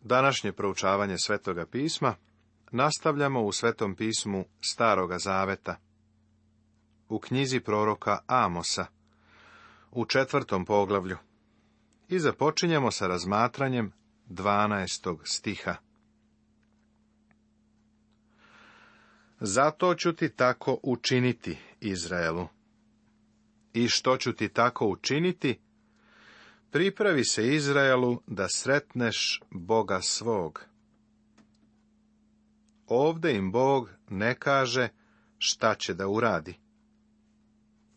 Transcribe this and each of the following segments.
Današnje proučavanje Svetoga pisma nastavljamo u Svetom pismu Staroga zaveta, u knjizi proroka Amosa, u 4. poglavlju, i započinjemo sa razmatranjem 12. stiha. Zato ću ti tako učiniti, Izraelu. I što ću ti tako učiniti? Pripravi se, Izraelu, da sretneš Boga svog. Ovde im Bog ne kaže šta će da uradi.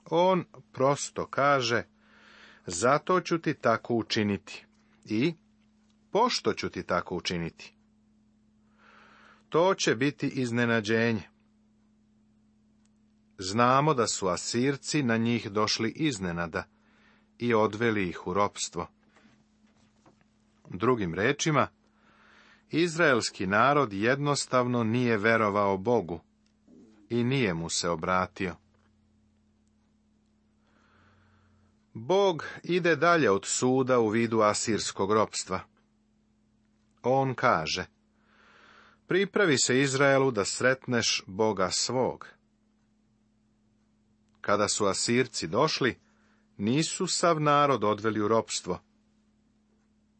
On prosto kaže, zato ću ti tako učiniti i pošto ću ti tako učiniti. To će biti iznenađenje. Znamo da su Asirci na njih došli iznenada i odveli ih u ropstvo. Drugim rečima, izraelski narod jednostavno nije verovao Bogu i nije mu se obratio. Bog ide dalje od suda u vidu asirskog ropstva. On kaže, pripravi se, Izraelu, da sretneš Boga svog. Kada su Asirci došli, nisu sav narod odveli u ropstvo.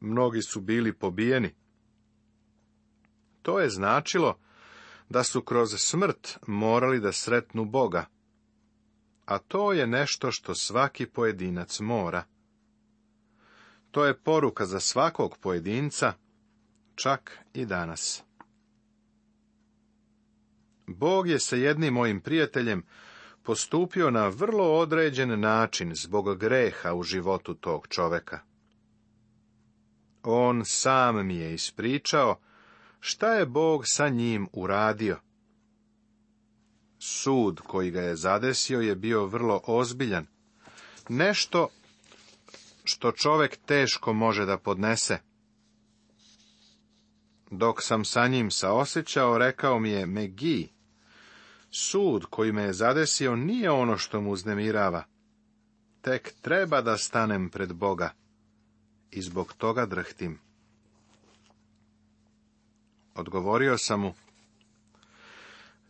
Mnogi su bili pobijeni. To je značilo da su kroz smrt morali da sretnu Boga, a to je nešto što svaki pojedinac mora. To je poruka za svakog pojedinca, čak i danas. Bog je sa jednim mojim prijateljem postupio na vrlo određen način zbog greha u životu tog čoveka. On sam mi je ispričao šta je Bog sa njim uradio. Sud koji ga je zadesio je bio vrlo ozbiljan, nešto što čovek teško može da podnese. Dok sam sa njim saosećao, rekao mi je, Megi, sud koji me je zadesio nije ono što mu uznemirava. Tek treba da stanem pred Boga i zbog toga drhtim. Odgovorio sam mu,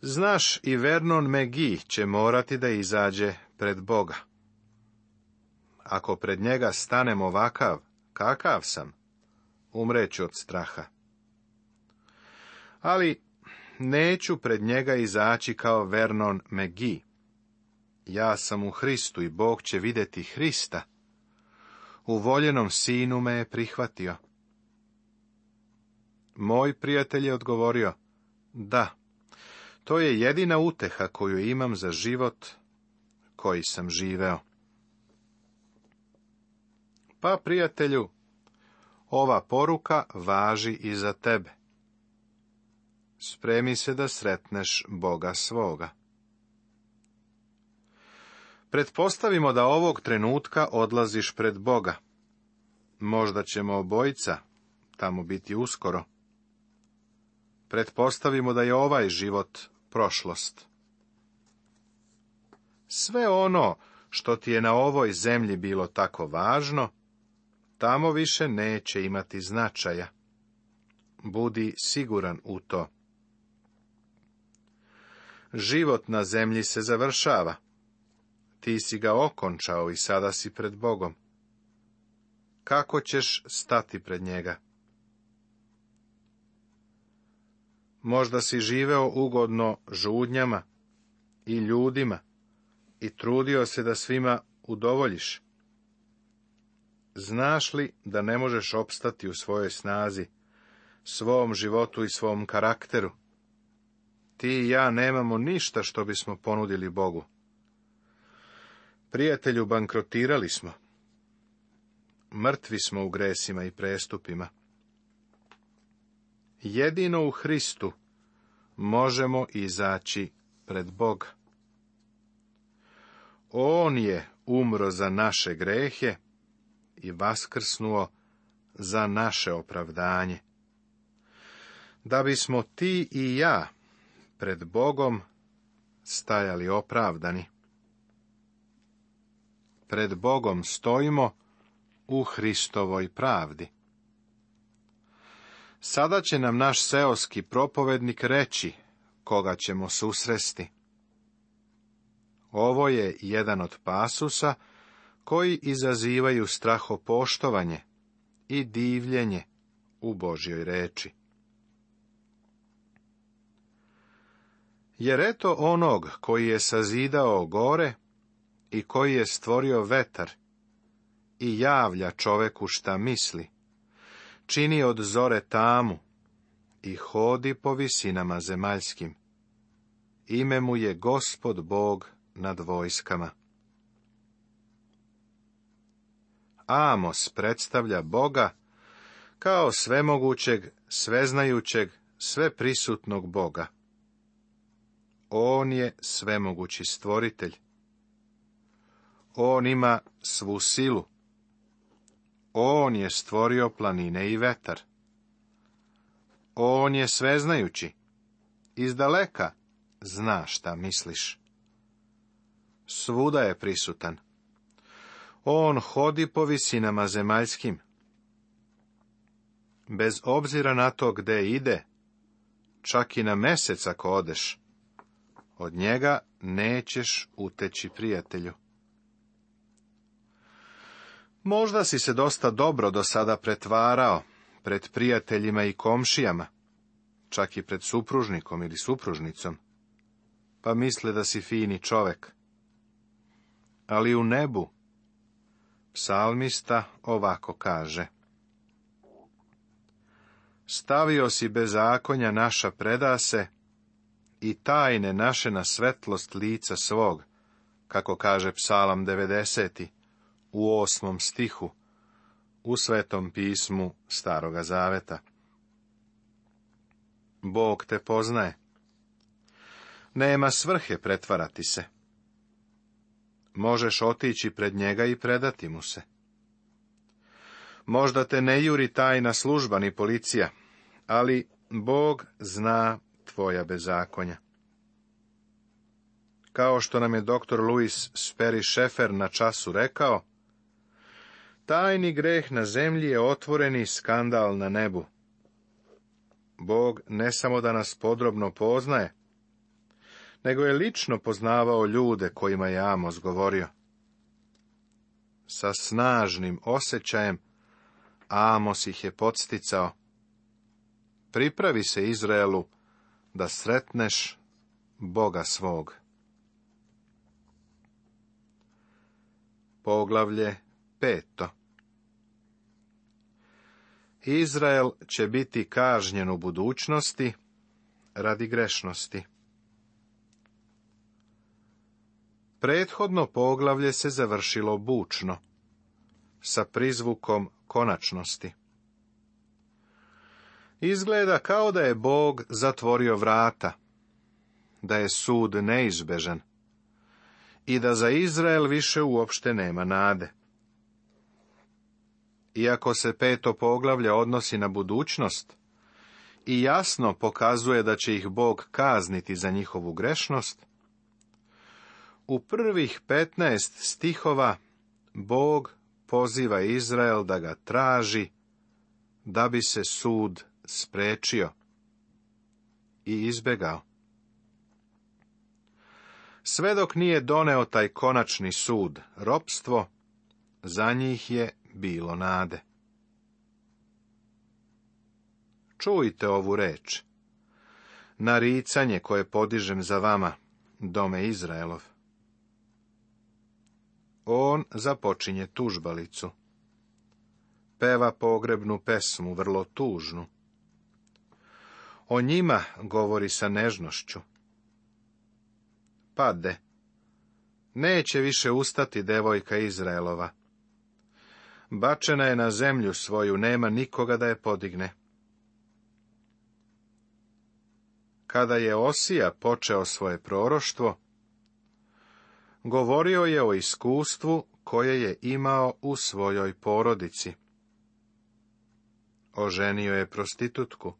znaš, i Vernon Megi će morati da izađe pred Boga. Ako pred njega stanem ovakav, kakav sam, umreću od straha. Ali neću pred njega izaći kao Vernon Megi. Ja sam u Hristu i Bog će vidjeti Hrista. U voljenom sinu me je prihvatio. Moj prijatelj je odgovorio, da, to je jedina uteha koju imam za život koji sam živeo. Pa, prijatelju, ova poruka važi i za tebe. Spremi se da sretneš Boga svoga. Pretpostavimo da ovog trenutka odlaziš pred Boga. Možda ćemo obojica tamo biti uskoro. Pretpostavimo da je ovaj život prošlost. Sve ono što ti je na ovoj zemlji bilo tako važno, tamo više neće imati značaja. Budi siguran u to. Život na zemlji se završava. Ti si ga okončao i sada si pred Bogom. Kako ćeš stati pred njega? Možda si živeo ugodno žudnjama i ljudima i trudio se da svima udovoljiš. Znaš li da ne možeš opstati u svojoj snazi, svom životu i svom karakteru? Ti i ja nemamo ništa što bismo ponudili Bogu. Prijatelju, bankrotirali smo. Mrtvi smo u gresima i prestupima. Jedino u Hristu možemo izaći pred Boga. On je umro za naše grehe i vaskrsnuo za naše opravdanje. Da bismo ti i ja pred Bogom stajali opravdani. Pred Bogom stojimo u Hristovoj pravdi. Sada će nam naš seoski propovednik reći koga ćemo susresti. Ovo je jedan od pasusa koji izazivaju strahopoštovanje i divljenje u Božjoj reči. Jer eto onog koji je sazidao gore i koji je stvorio vetar i javlja čoveku šta misli, čini od zore tamu i hodi po visinama zemaljskim. Ime mu je Gospod Bog nad vojskama. Amos predstavlja Boga kao svemogućeg, sveznajućeg, sveprisutnog Boga. On je svemogući stvoritelj. On ima svu silu. On je stvorio planine i vetar. On je sveznajući. Izdaleka zna šta misliš. Svuda je prisutan. On hodi po visinama zemaljskim. Bez obzira na to gde ide, čak i na mesec ako odeš, od njega nećeš uteći, prijatelju. Možda si se dosta dobro do sada pretvarao pred prijateljima i komšijama, čak i pred supružnikom ili supružnicom, pa misle da si fini čovek. Ali u nebu psalmista ovako kaže: stavio si bezakonja naša predase i tajne naše na svetlost lica svog, kako kaže psalam 90. u 8. stihu u Svetom pismu Staroga Zaveta. Bog te poznaje. Nema svrhe pretvarati se. Možeš otići pred njega i predati mu se. Možda te ne juri tajna služba ni policija, ali Bog zna tvoja bezakonja. Kao što nam je dr. Louis Sperry Schaeffer na času rekao, tajni greh na zemlji je otvoreni skandal na nebu. Bog ne samo da nas podrobno poznaje, nego je lično poznavao ljude kojima je Amos govorio. Sa snažnim osjećajem Amos ih je podsticao: pripravi se, Izraelu, da sretneš Boga svog. Poglavlje 5. Izrael će biti kažnjen u budućnosti radi grešnosti. Prethodno poglavlje se završilo bučno, sa prizvukom konačnosti. Izgleda kao da je Bog zatvorio vrata, da je sud neizbežan i da za Izrael više uopšte nema nade. Iako se 5. poglavlje odnosi na budućnost i jasno pokazuje da će ih Bog kazniti za njihovu grešnost, u prvih 15 stihova Bog poziva Izrael da ga traži, da bi se sud sprečio i izbegao. Sve dok nije doneo taj konačni sud, ropstvo, za njih je bilo nade. Čujte ovu reč, naricanje koje podižem za vama, dome Izraelov. On započinje tužbalicu. Peva pogrebnu pesmu, vrlo tužnu. O njima govori sa nežnošću. Pade. Neće više ustati devojka Izraelova. Bačena je na zemlju svoju, nema nikoga da je podigne. Kada je Osija počeo svoje proroštvo, govorio je o iskustvu koje je imao u svojoj porodici. Oženio je prostitutku,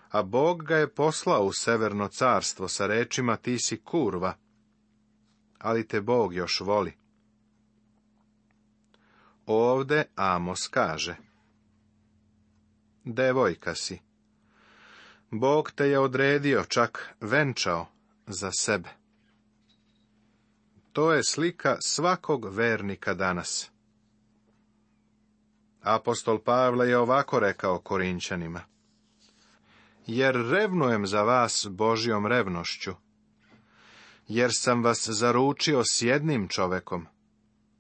a Bog ga je poslao u severno carstvo sa rečima: ti si kurva, ali te Bog još voli. Ovde Amos kaže: devojka si. Bog te je odredio, čak venčao za sebe. To je slika svakog vernika danas. Apostol Pavle je ovako rekao Korinćanima: jer revnujem za vas Božjom revnošću, jer sam vas zaručio s jednim čovekom,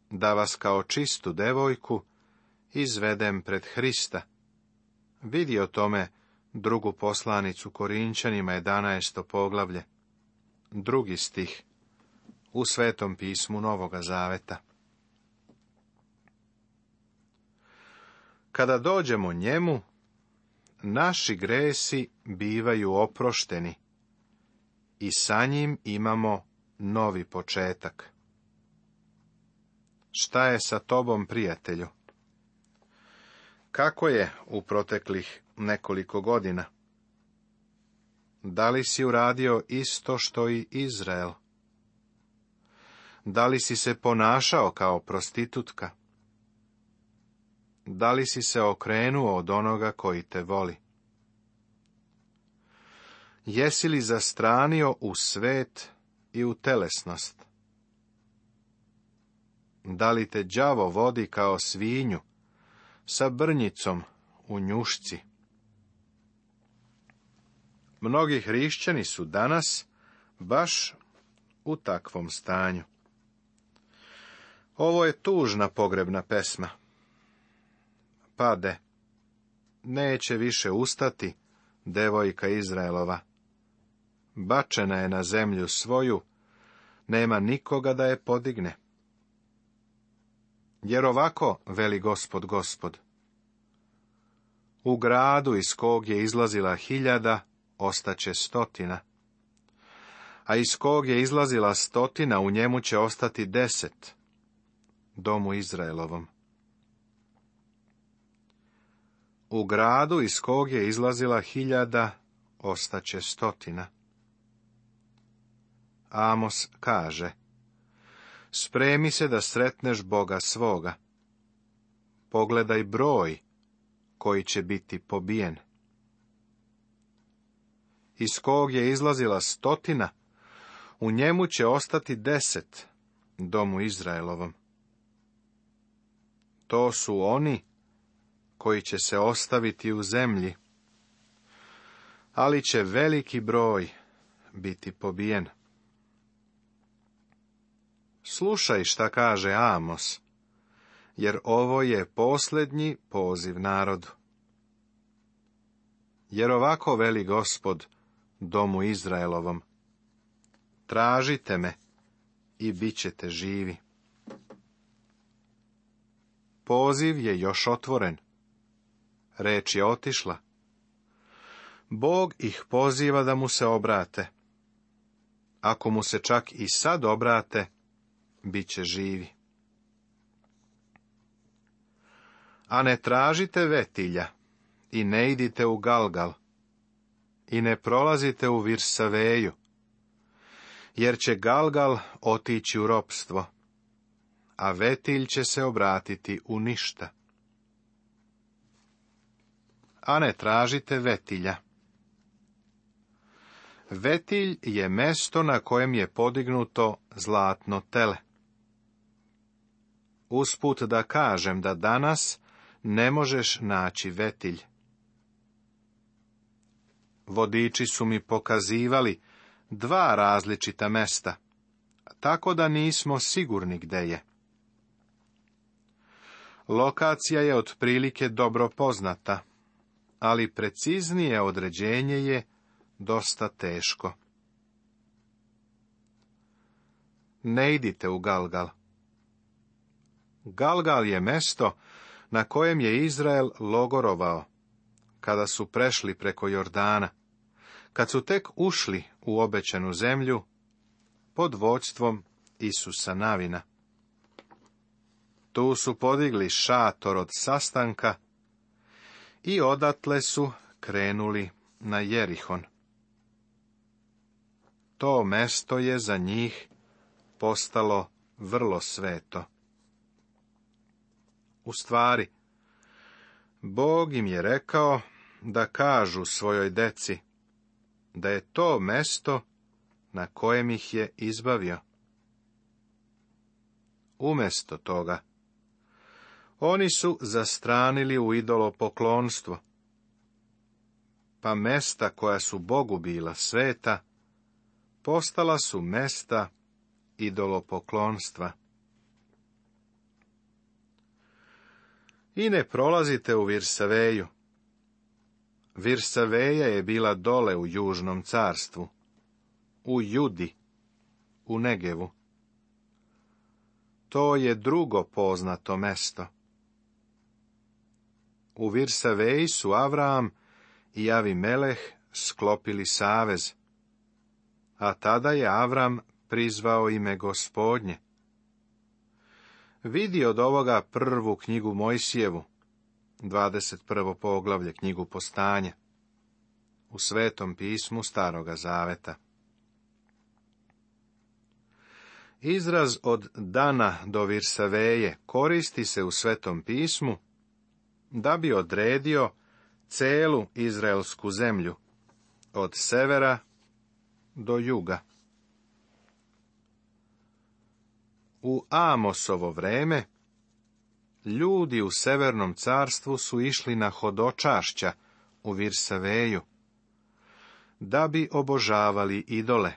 da vas kao čistu devojku izvedem pred Hrista. Vidi o tome drugu poslanicu Korinćanima, 11. poglavlje, 2. stih, u Svetom pismu Novoga Zaveta. Kada dođemo njemu, naši gresi bivaju oprošteni i sa njim imamo novi početak. Šta je sa tobom, prijatelju? Kako je u proteklih nekoliko godina? Da li si uradio isto što i Izrael? Da li si se ponašao kao prostitutka? Da li si se okrenuo od onoga koji te voli? Jesi li zastranio u svet i u telesnost? Da li te đavo vodi kao svinju, sa brnjicom u njušci? Mnogi hrišćani su danas baš u takvom stanju. Ovo je tužna pogrebna pesma. Pade, neće više ustati devojka Izraelova. Bačena je na zemlju svoju, nema nikoga da je podigne. Jer ovako veli Gospod, Gospod: u gradu iz kog je izlazila 1000, ostaće 100, a iz kog je izlazila 100, u njemu će ostati 10, domu Izraelovom. U gradu iz kog je izlazila 1000, ostaće 100. Amos kaže: spremi se da sretneš Boga svoga. Pogledaj broj koji će biti pobijen. Iz kog je izlazila 100, u njemu će ostati 10, domu Izraelovom. To su oni koji će se ostaviti u zemlji, ali će veliki broj biti pobijen. Slušaj šta kaže Amos, jer ovo je posljednji poziv narodu. Jer ovako veli Gospod domu Izraelovom: tražite me i bit ćete živi. Poziv je još otvoren. Reč je otišla. Bog ih poziva da mu se obrate. Ako mu se čak i sad obrate, bit će živi. A ne tražite vetilja i ne idite u Galgal i ne prolazite u Virsaveju, jer će Galgal otići u ropstvo, a vetilj će se obratiti u ništa. A ne tražite vetilja. Vetilj je mesto na kojem je podignuto zlatno tele. Usput da kažem da danas ne možeš naći vetilj. Vodiči su mi pokazivali 2 različita mesta, tako da nismo sigurni gde je. Lokacija je otprilike dobro poznata, ali preciznije određenje je dosta teško. Ne idite u Galgal. Galgal je mesto na kojem je Izrael logorovao, kada su prešli preko Jordana, kad su tek ušli u obećanu zemlju pod vođstvom Isusa Navina. Tu su podigli šator od sastanka i odatle su krenuli na Jerihon. To mesto je za njih postalo vrlo sveto. U stvari, Bog im je rekao da kažu svojoj deci da je to mesto na kojem ih je izbavio. Umjesto toga, oni su zastranili u idolopoklonstvo, pa mesta koja su Bogu bila sveta, postala su mesta idolopoklonstva. I ne prolazite u Virsaveju. Virsaveja je bila dole u južnom carstvu, u Judi, u Negevu. To je drugo poznato mesto. U Virsaveji su Avram i Avimeleh sklopili savez, a tada je Avram prizvao ime Gospodnje. Vidi od ovoga prvu knjigu Mojsijevu, 21. poglavlje knjigu Postanja, u Svetom pismu Staroga Zaveta. Izraz od Dana do Virsaveje koristi se u Svetom pismu da bi odredio celu izraelsku zemlju, od severa do juga. U Amosovo vreme, ljudi u Severnom carstvu su išli na hodočašća u Virsaveju, da bi obožavali idole.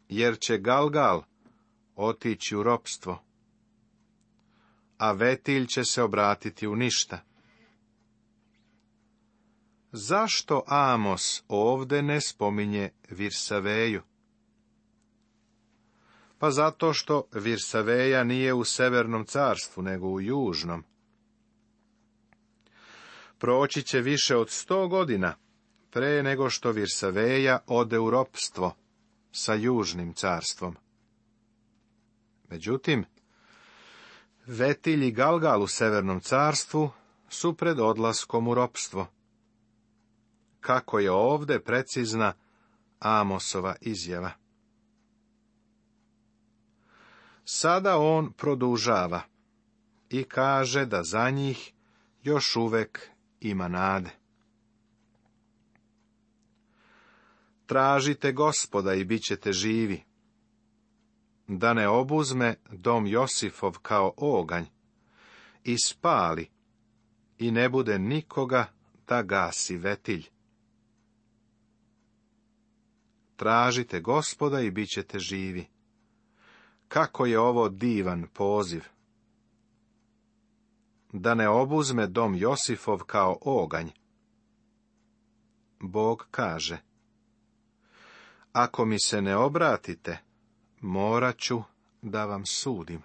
Jer će Galgal otići u ropstvo, a Vetilj će se obratiti u ništa. Zašto Amos ovde ne spominje Virsaveju? Pa zato što Virsaveja nije u Severnom carstvu, nego u Južnom. Proći će više od 100 godina pre nego što Virsaveja ode u ropstvo sa Južnim carstvom. Međutim, Vetilj i Galgal u Severnom carstvu su pred odlaskom u ropstvo. Kako je ovde precizna Amosova izjava. Sada on produžava i kaže da za njih još uvek ima nade. Tražite Gospoda i bit ćete živi, da ne obuzme dom Josifov kao oganj i spali i ne bude nikoga da gasi Vetilj. Tražite Gospoda i bit ćete živi. Kako je ovo divan poziv! Da ne obuzme dom Josifov kao oganj. Bog kaže: ako mi se ne obratite, morat ću da vam sudim.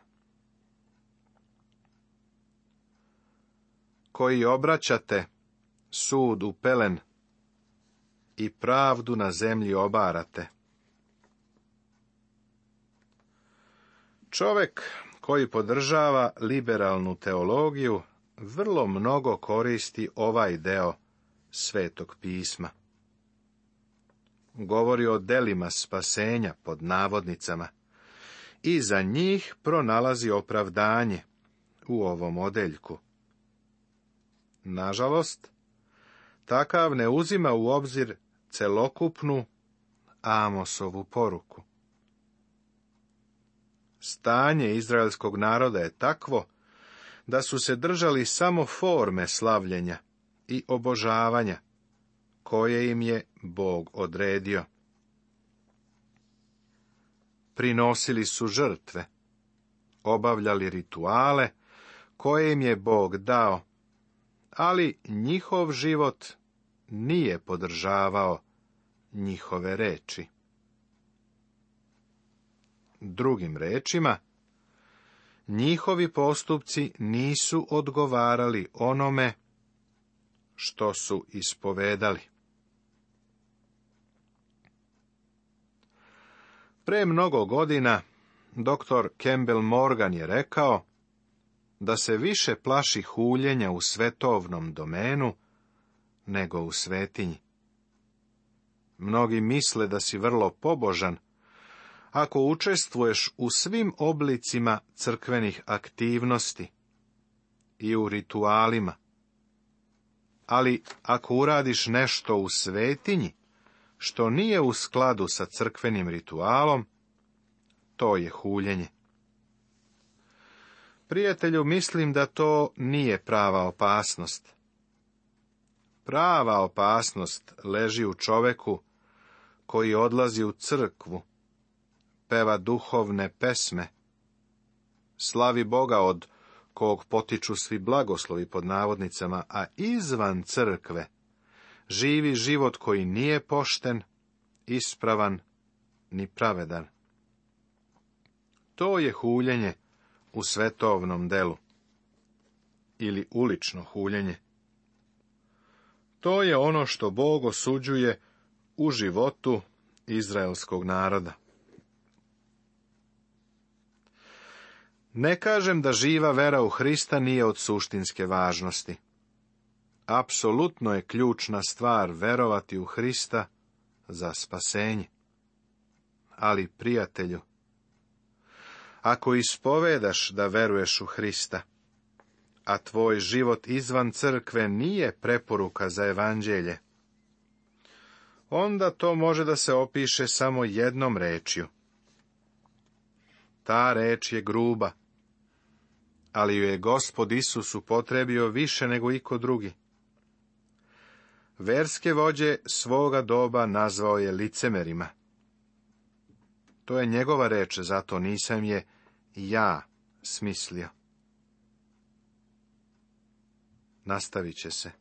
Koji obraćate sud u pelen i pravdu na zemlji obarate. Čovjek koji podržava liberalnu teologiju vrlo mnogo koristi ovaj deo Svetog pisma. Govori o delima spasenja pod navodnicama i za njih pronalazi opravdanje u ovom odeljku. Nažalost, takav ne uzima u obzir celokupnu Amosovu poruku. Stanje izraelskog naroda je takvo da su se držali samo forme slavljenja i obožavanja koje im je Bog odredio. Prinosili su žrtve, obavljali rituale koje im je Bog dao, ali njihov život nije podržavao njihove reči. Drugim rečima, njihovi postupci nisu odgovarali onome što su ispovedali. Pre mnogo godina dr. Campbell Morgan je rekao da se više plaši huljenja u svetovnom domenu nego u svetinji. Mnogi misle da si vrlo pobožan ako učestvuješ u svim oblicima crkvenih aktivnosti i u ritualima ali ako uradiš nešto u svetinji, što nije u skladu sa crkvenim ritualom, to je huljenje. Prijatelju, mislim da to nije prava opasnost. Prava opasnost leži u čoveku koji odlazi u crkvu, peva duhovne pesme, slavi Boga od kog potiču svi blagoslovi pod navodnicama, a izvan crkve živi život koji nije pošten, ispravan ni pravedan. To je huljenje u svetovnom delu ili ulično huljenje. To je ono što Bog osuđuje u životu izraelskog naroda. Ne kažem da živa vera u Hrista nije od suštinske važnosti. Apsolutno je ključna stvar verovati u Hrista za spasenje. Ali, prijatelju, ako ispovedaš da veruješ u Hrista, a tvoj život izvan crkve nije preporuka za evanđelje, onda to može da se opiše samo jednom rečju. Ta reč je gruba, ali ju je Gospod Isus upotrebio više nego iko drugi. Verske vođe svoga doba nazvao je licemerima. To je njegova reč, zato nisam je ja smislio. Nastavit će se.